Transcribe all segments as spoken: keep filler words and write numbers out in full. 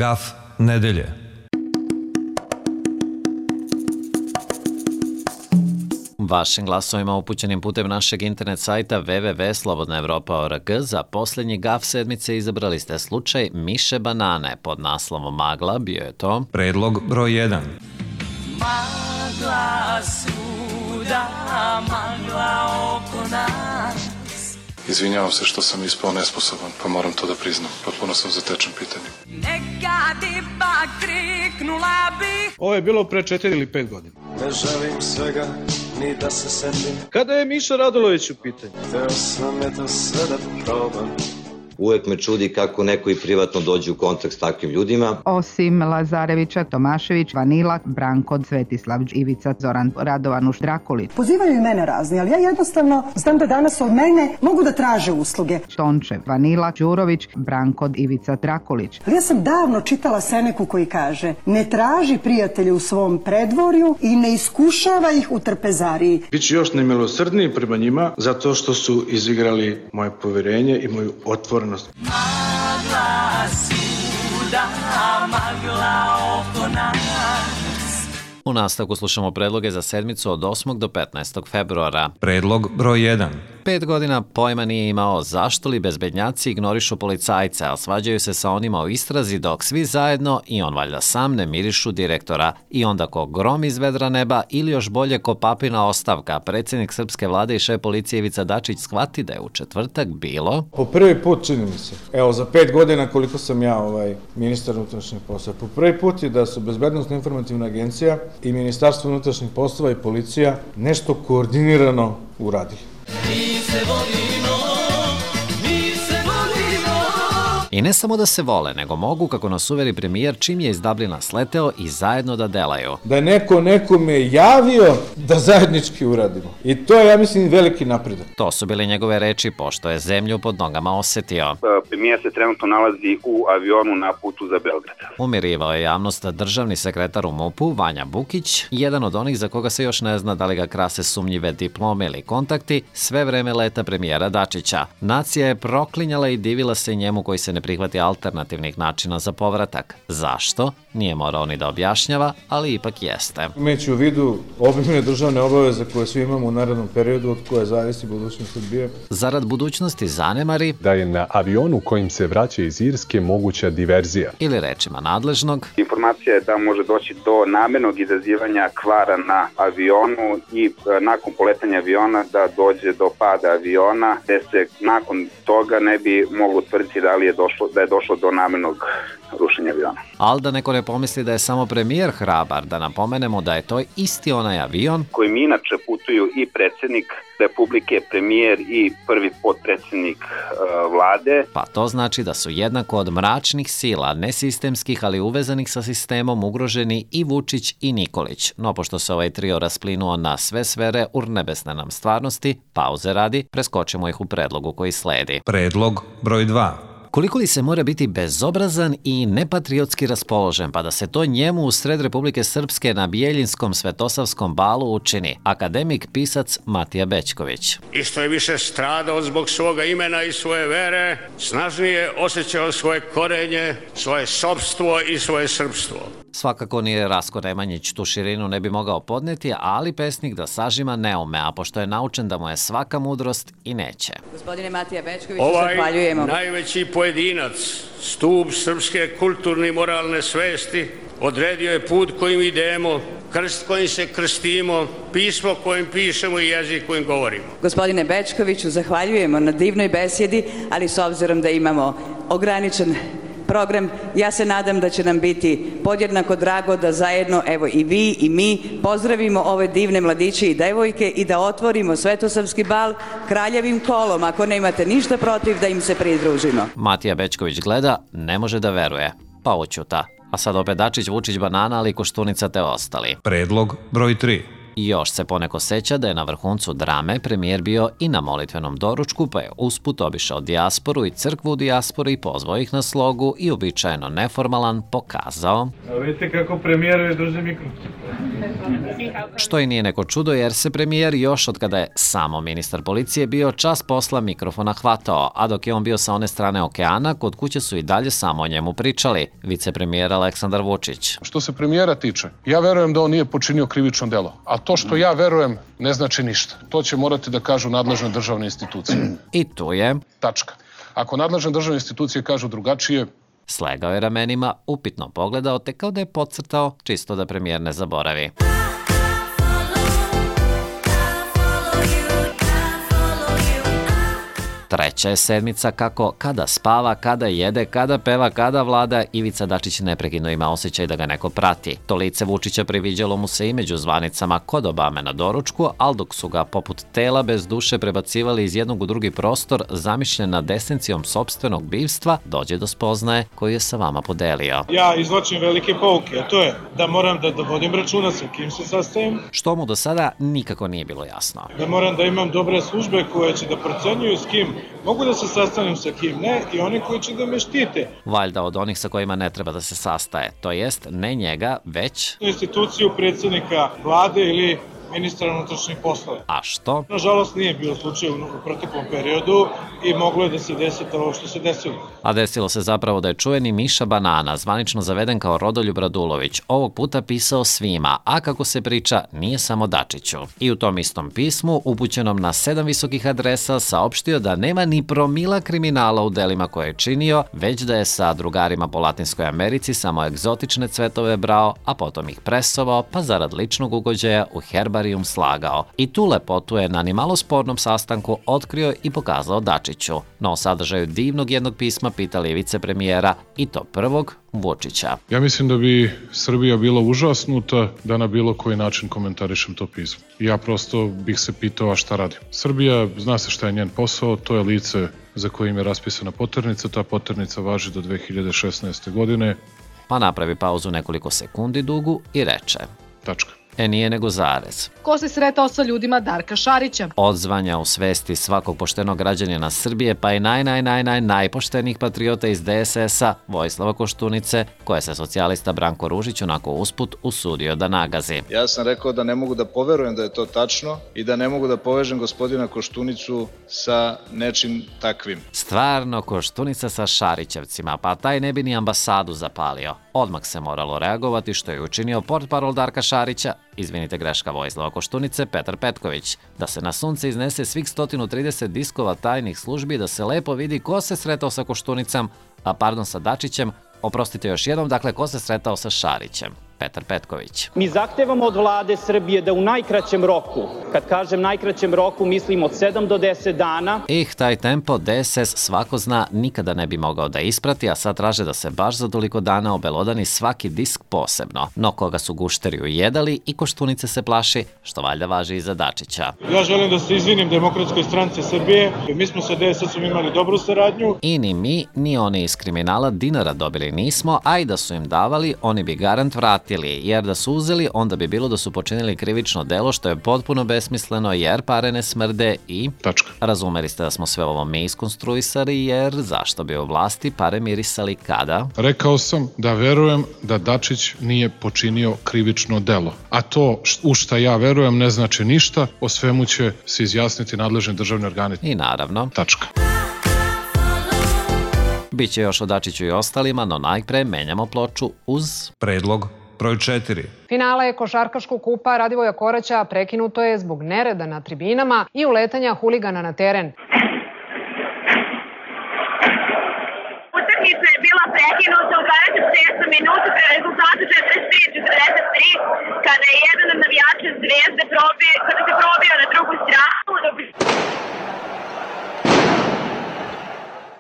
Gaf nedelje. Vašim glasovima upućenim putem našeg internet sajta w w w tačka slobodna evropa tačka org za posljednji gaf sedmice izabrali ste slučaj Miše Banane. Pod naslovom Magla bio je to predlog broj jedan. Magla svuda, magla oko nas. Izvinjavam se što sam ispao nesposoban, pa moram to da priznam. Potpuno sam zatečen pitanjem. Nekad ipak kriknula bih. Ovo je bilo pre četiri ili pet godina. Ne želim svega, ni da se setim. Kada je Miša Radulović u pitanju? Hteo sam eto sve da probam. Uvek me čudi kako neko i privatno dođe u kontakt s takvim ljudima. Osim Lazarevića, Tomašević, Vanila, Branko, Svetislav, Ivica, Zoran, Radovanuš, Drakulić. Pozivaju i mene razni, ali ja jednostavno znam da danas od mene mogu da traže usluge. Tončev, Vanila, Đurović, Branko, Ivica, Drakulić. Ali ja sam davno čitala Seneku koji kaže: ne traži prijatelje u svom predvorju i ne iskušava ih u trpezariji. Biću još nemilosrdniji prema njima zato što su izigrali moje poverenje i moju otvorenost. Magla svuda, magla oko nas. U nastavku slušamo predloge za sedmicu od osmog do petnaestog februara. Predlog broj jedan. Pet godina pojma nije imao zašto li bezbednjaci ignorišu policajce, a svađaju se sa onima u istrazi dok svi zajedno i on valjda sam ne mirišu direktora. I onda ko grom iz vedra neba ili još bolje ko papina ostavka, predsjednik srpske vlade i šef policije Ivica Dačić shvati da je u četvrtak bilo... Po prvi put čini mi se, evo za pet godina koliko sam ja ovaj ministar unutrašnjih poslova, po prvi put je da su Bezbednosno informativna agencija i Ministarstvo unutrašnjih poslova i policija nešto koordinirano uradili. Mi se volimo, mi se volimo. I ne samo da se vole, nego mogu, kako nas uveri premijer, čim je iz Dublina sleteo i zajedno da delaju. Da je neko nekome javio da zajednički uradimo. I to je, ja mislim, veliki napredak. To su bile njegove reči, pošto je zemlju pod nogama osetio. Premijer se trenutno nalazi u avionu na putu za Beograd. Umirivao je javnost državni sekretar u MUP-u, Vanja Bukić, jedan od onih za koga se još ne zna da li ga krase sumnjive diplome ili kontakti, sve vreme leta premijera Dačića. Nacija je proklinjala i divila se njemu koji se ne prihvati alternativnih načina za povratak. Zašto? Nije morao ni da objašnjava, ali ipak jeste. Imajući u vidu obimne državne obaveze koje svi imamo u narednom periodu od koje zavisi budućnost Srbije. Zarad budućnosti zanemari da je na avionu kojim se vraća iz Irske moguća diverzija. Ili rečima nadležnog. Informacija je da može doći do namernog izazivanja kvara na avionu i nakon poletanja aviona da dođe do pada aviona, gde se nakon toga ne bi moglo tvrditi da li je došlo, da je došlo do namernog rušenja aviona. Ali da neko ne pomisli da je samo premijer hrabar, da napomenemo da je to isti onaj avion kojim inače putuju i predsjednik Republike, premijer i prvi potpredsjednik uh, vlade. Pa to znači da su jednako od mračnih sila, nesistemskih, ali uvezanih sa sistemom, ugroženi i Vučić i Nikolić. No pošto se ovaj trio rasplinuo na sve sfere urnebesne nam stvarnosti, pauze radi, preskočimo ih u predlogu koji sledi. Predlog broj dva. Koliko li se mora biti bezobrazan i nepatriotski raspoložen, pa da se to njemu u sred Republike Srpske na Bijeljinskom Svetosavskom balu učini? Akademik, pisac Matija Bećković. I što je više stradao zbog svoga imena i svoje vere, snažnije osjećao svoje korenje, svoje sopstvo i svoje srpstvo. Svakako nije Rasko Nemanjić tu širinu ne bi mogao podneti, ali pesnik da sažima ne ume, a pošto je naučen da mu je svaka mudrost i neće. Gospodine Matija Bećković, ovaj zahvaljujemo. Najveći pojedinac, stub srpske kulturne i moralne svesti, odredio je put kojim idemo, krst kojim se krstimo, pismo kojim pišemo i jezik kojim govorimo. Gospodine Bećkoviću, zahvaljujemo na divnoj besjedi, ali s obzirom da imamo ograničen program, ja se nadam da će nam biti podjednako drago da zajedno, evo i vi i mi, pozdravimo ove divne mladiće i devojke i da otvorimo Svetosavski bal kraljevim kolom, ako ne imate ništa protiv da im se pridružimo. Matija Bećković gleda, ne može da veruje, pa oćuta. A sad opet Dačić, Vučić, Banana, ali Koštunica te ostali. Predlog broj tri. I još se poneko seća da je na vrhuncu drame premijer bio i na molitvenom doručku, pa je usput obišao dijasporu i crkvu u dijaspori i pozvao ih na slogu i uobičajeno neformalan pokazao. A vidite kako premijer je drži mikrofon. Što i nije neko čudo jer se premijer još od kada je samo ministar policije bio čas posla mikrofona hvatao, a dok je on bio sa one strane okeana, kod kuće su i dalje samo o njemu pričali. Vicepremijer Aleksandar Vučić. Što se premijera tiče, ja verujem da on nije počinio krivično delo, a to što ja verujem ne znači ništa. To će morati da kažu nadležne državne institucije. I tu je... Tačka. Ako nadležne državne institucije kažu drugačije... Slegao je ramenima, upitno pogledao, te kao da je podcrtao, čisto da premijer ne zaboravi. Treća je sedmica kako kada spava, kada jede, kada peva, kada vlada, Ivica Dačić neprekidno ima osjećaj da ga neko prati. To lice Vučića priviđalo mu se i među zvanicama kod Obame na doručku, ali dok su ga poput tela bez duše prebacivali iz jednog u drugi prostor, zamišljen nad esencijom sopstvenog bivstva, dođe do spoznaje koju je sa vama podelio. Ja izvlačim velike pouke, a to je da moram da, da vodim računa sa kim se sastajem. Što mu do sada nikako nije bilo jasno. Da moram da imam dobre službe koje će da procenjuju s kim mogu da se sastanem, sa kim ne, i oni koji će da me štite. Valjda od onih sa kojima ne treba da se sastaje, to jest ne njega, već... instituciju predsjednika vlade ili ministra unutrašnjih poslova. A što? Nažalost nije bio slučaj u proteklom periodu i moglo je da se desi ovo što se desilo. A desilo se zapravo da je čuveni Miša Banana, zvanično zaveden kao Rodoljub Radulović, ovog puta pisao svima, a kako se priča, nije samo Dačiću. I u tom istom pismu, upućenom na sedam visokih adresa, saopštio da nema ni promila kriminala u delima koje je činio, već da je sa drugarima po Latinskoj Americi samo egzotične cvetove brao, a potom ih presovao, pa zarad ličnog ugođaja u herbarijum slagao. I tu lepotu je na nimalo spornom sastanku otkrio i pokazao Dačiću. No o sadržaju divnog jednog pisma pitali vicepremijera, i to prvog, Vučića. Ja mislim da bi Srbija bila užasnuta da na bilo koji način komentarišem to pismo. Ja prosto bih se pitao, a šta radim? Srbija, zna se šta je njen posao, to je lice za kojim je raspisana poternica, ta poternica važi do dve hiljade šesnaeste. godine. Pa napravi pauzu nekoliko sekundi dugu i reče. Tačka. E nije nego zarez. Ko se sretao sa ljudima Darka Šarića? Odzvanja u svesti svakog poštenog građanina Srbije, pa i naj, naj, naj, naj, najpoštenijih patriota iz de es es a, Vojislava Koštunice, koje se socijalista Branko Ružić onako usput usudio da nagazi. Ja sam rekao da ne mogu da poverujem da je to tačno i da ne mogu da povežem gospodina Koštunicu sa nečim takvim. Stvarno Koštunica sa Šarićevcima, pa taj ne bi ni ambasadu zapalio. Odmah se moralo reagovati, što je učinio portparol Darka Šarića, izvinite greška Vojislava Koštunice, Petar Petković, da se na sunce iznese svih sto trideset diskova tajnih službi, da se lepo vidi ko se sretao sa Koštunicom, a pardon sa Dačićem, oprostite još jednom, dakle ko se sretao sa Šarićem. Petar Petković. Mi zahtevamo od vlade Srbije da u najkraćem roku, kad kažem najkraćem roku, mislim od sedam do deset dana. Ih, taj tempo de es es svako zna nikada ne bi mogao da isprati, a sad traže da se baš za toliko dana obelodani svaki disk posebno. No koga su gušteri ujedali i Koštunice se plaši, što valjda važi i za Dačića. Ja želim da se izvinim Demokratskoj stranci Srbije, mi smo sa de es esom imali dobru saradnju. I ni mi, ni oni iz kriminala dinara dobili nismo, a i da su im davali, oni bi garant vratili. Jer da su uzeli, onda bi bilo da su počinili krivično delo, što je potpuno besmisleno, jer pare ne smrde i... Tačka. Razumeli ste da smo sve ovo mi iskonstruisali, jer zašto bi u vlasti pare mirisali kada? Rekao sam da verujem da Dačić nije počinio krivično delo. A to u šta ja verujem ne znači ništa, o svemu će se izjasniti nadležni državni organi. I naravno... Tačka. Biće još o Dačiću i ostalima, no najpre menjamo ploču uz... Predlog broj četiri. Finale košarkaškog kupa Radivoja Koraća prekinuto je zbog nereda na tribinama i uletanja huligana na teren. Utakmica je bila prekinuta u dvadeset šestom minutu pre rezultatu četrdeset tri četrdeset tri, kada je jedan od navijača Zvezde probio, kada se probio na drugu stranu, dok...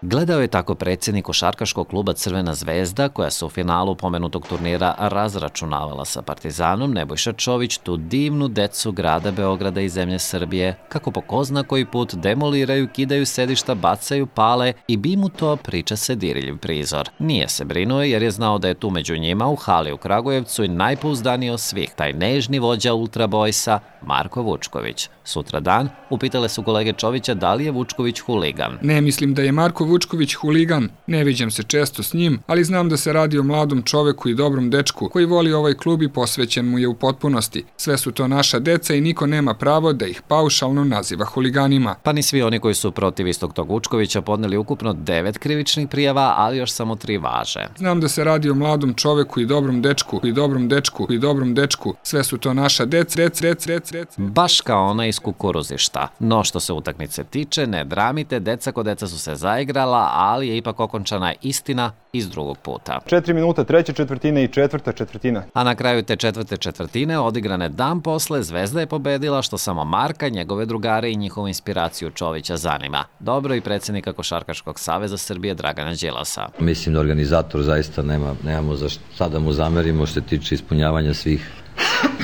Gledao je tako predsjednik košarkaškog kluba Crvena zvezda, koja se u finalu pomenutog turnira razračunavala sa Partizanom, Nebojša Čović, tu divnu decu grada Beograda i zemlje Srbije, kako po ko zna koji put demoliraju, kidaju sedišta, bacaju, pale i bi mu to, priča se, diriljiv prizor. Nije se brinuo jer je znao da je tu među njima u hali u Kragujevcu i najpouzdaniji od svih, taj nežni vođa Ultra Boysa, Marko Vučković. Sutra dan upitale su kolege Čovića da li je Vučković huligan. Ne mislim da je Marko Vučković huligan, ne viđam se često s njim, ali znam da se radi o mladom čoveku i dobrom dečku koji voli ovaj klub i posvećen mu je u potpunosti. Sve su to naša deca i niko nema pravo da ih paušalno naziva huliganima. Pa ni svi oni koji su protiv istog tog Vučkovića podneli ukupno devet krivičnih prijava, ali još samo tri važe. Znam da se radi o mladom čoveku i dobrom dečku i dobrom dečku i dobrom dečku. Sve su to naša deca, deca, deca, deca, deca. Baš kao ona iz kukuruzišta. No što se utakmice tiče, ne dramite, deca ko deca su se zaigrala, ali je ipak okončana istina iz drugog puta. Četiri minuta treće četvrtine i četvrta četvrtina. A na kraju te četvrte četvrtine, odigrane dan posle, Zvezda je pobedila, što samo Marka, njegove drugare i njihovu inspiraciju Čovića zanima. Dobro i predsjednika Košarkaškog saveza Srbije Dragana Đilasa. Mislim da organizator zaista nema, nemamo za šta da mu zamerimo što se tiče ispunjavanja svih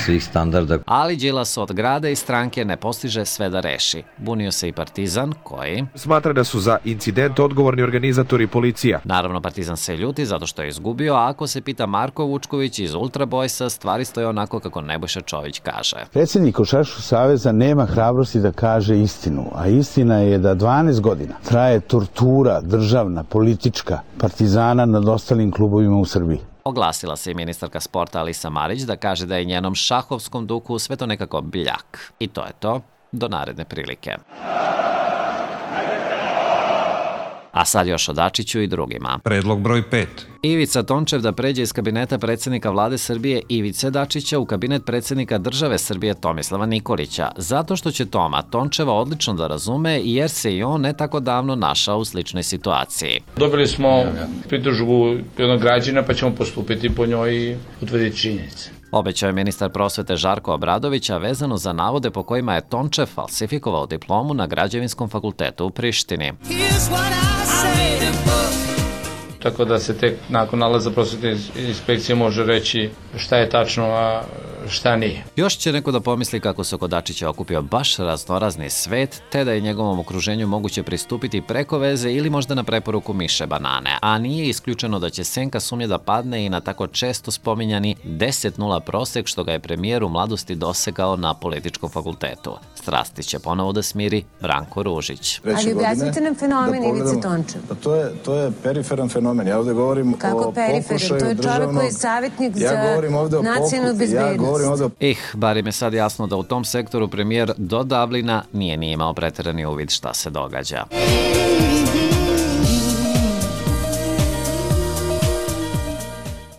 svih standarda. Ali Đilas od grada i stranke ne postiže sve da reši. Bunio se i Partizan, koji smatra da su za incident odgovorni organizatori i policija. Naravno, Partizan se ljuti zato što je izgubio, a ako se pita Marko Vučković iz Ultra Boysa, stvari stoje onako kako Nebojša Čović kaže. Predsjednik Košarkaškog saveza nema hrabrosti da kaže istinu, a istina je da dvanaest godina traje tortura državna, politička Partizana nad ostalim klubovima u Srbiji. Oglasila se i ministarka sporta Alisa Marić da kaže da je njenom šahovskom duhu sve to nekako bljak. I to je to, do naredne prilike. A sad još o Dačiću i drugima. Predlog broj pet. Ivica Tončev da pređe iz kabineta predsjednika vlade Srbije Ivice Dačića u kabinet predsjednika države Srbije Tomislava Nikolića, zato što će Toma Tončeva odlično da razume jer se i on ne tako davno našao u sličnoj situaciji. Dobili smo pritužbu jednog građana pa ćemo postupiti po njoj i utvrditi činjenice. Obećao je ministar prosvete Žarko Obradovića vezano za navode po kojima je Tončev falsifikovao diplomu na Građevinskom fakultetu u Prištini. Tako da se tek nakon nalaza prosvetne inspekcije može reći šta je tačno, a šta nije. Još će neko da pomisli kako se oko Dačića okupio baš raznorazni svet, te da je njegovom okruženju moguće pristupiti preko veze ili možda na preporuku Miše Banane, a nije isključeno da će senka sumnje da padne i na tako često spominjani deset nula prosek što ga je premijer u mladosti dosegao na političkom fakultetu. Strasti će ponovo da smiri Branko Ružić. Ali objasnite nam fenomen Ivice Tončev. To je, to je periferan fenomen. Ja ovde govorim Kako o periferan? pokušaju To je čovjek državnog... koji je savjetnik ja za nacionalnu bezbednost. Ih, bar im je sad jasno da u tom sektoru premijer do davlina nije ni imao preterani uvid šta se događa.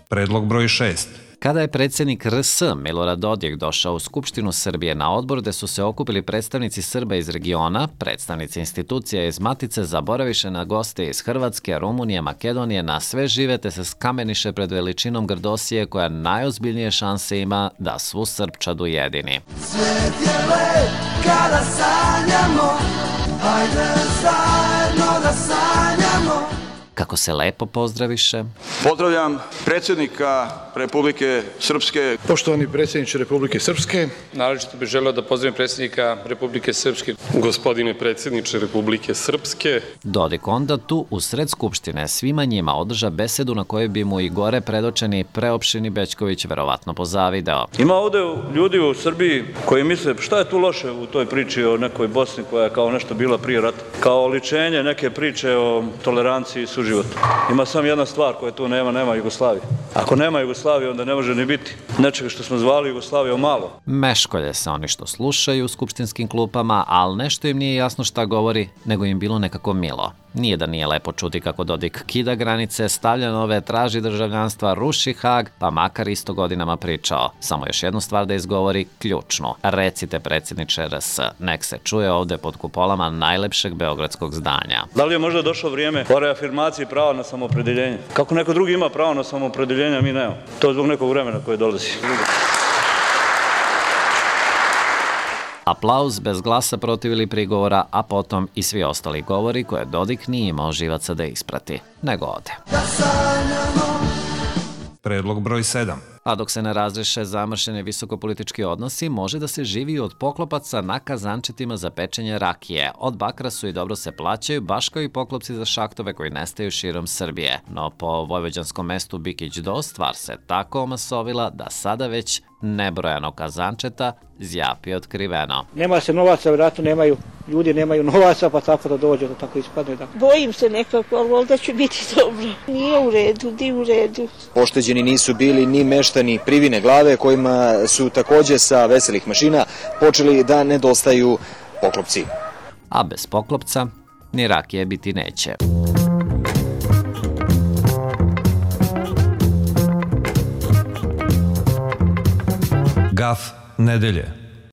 Predlog broj šest. Kada je predsjednik R S Milorad Dodik došao u Skupštinu Srbije na odbor gde su se okupili predstavnici Srba iz regiona, predstavnici institucija iz Matice zaboraviše na goste iz Hrvatske, Rumunije, Makedonije, na sve žive te se skameniše pred veličinom Grdosije koja najozbiljnije šanse ima da svu Srpčadu jedini. Svet je lep kada sanjamo, hajde zajedno da sanjamo. Kako se lepo pozdraviše. Pozdravljam predsjednika Republike Srpske. Poštovani predsjedniče Republike Srpske. Naročito bih želeo da pozdravim predsjednika Republike Srpske. Gospodine predsjedniče Republike Srpske. Dodik onda tu u sred Skupštine svima njima održa besedu na kojoj bi mu i gore predočeni preopštini Bećković verovatno pozavideo. Ima ovde ljudi u Srbiji koji misle šta je tu loše u toj priči o nekoj Bosni koja je kao nešto bila prije rata. Kao oličenje neke priče o toleranciji i suživotu. Ima samo jedna stvar koja tu nema, nema Jugoslavije. Ako nema Jugoslavije, onda ne može ni biti nečega što smo zvali Jugoslavijom malo. Meškolje se oni što slušaju u skupštinskim klupama, ali nešto im nije jasno šta govori, nego im bilo nekako milo. Nije da nije lepo čuti kako Dodik kida granice, stavlja nove, traži državljanstva, ruši Hag, pa makar isto godinama pričao. Samo još jednu stvar da izgovori, ključnu. Recite predsjedniče R S, nek se čuje ovde pod kupolama najlepšeg beogradskog zdanja. Da li je možda došlo vrijeme o reafirmaciji prava na samoopredeljenje? Kako neko drugi ima pravo na samoopredeljenje, a mi nemamo. To je zbog nekog vremena koje dolazi. Aplauz bez glasa protiv ili prigovora, a potom i svi ostali govori koje Dodik nije imao živaca da isprati, nego ode. Predlog broj sedam. A dok se ne razreše zamršeni visokopolitički odnosi, može da se živi od poklopaca na kazančetima za pečenje rakije. Od bakra su i dobro se plaćaju, baš kao i poklopci za šahtove koji nestaju širom Srbije. No po vojvođanskom mestu Bikić do, stvar se tako omasovila da sada već nebrojanog kazančeta zjapi otkriveno. Nema se novaca, vjerojatno nemaju, ljudi nemaju novaca, pa tako da dođe, da tako ispadne. Da. Bojim se nekako, ali možda će biti dobro. Nije u redu, di u redu. Pošteđeni nisu bili ni meštani Privine Glave, kojima su takođe sa veselih mašina počeli da nedostaju poklopci. A bez poklopca ni rakije biti neće. Gaf nedelje.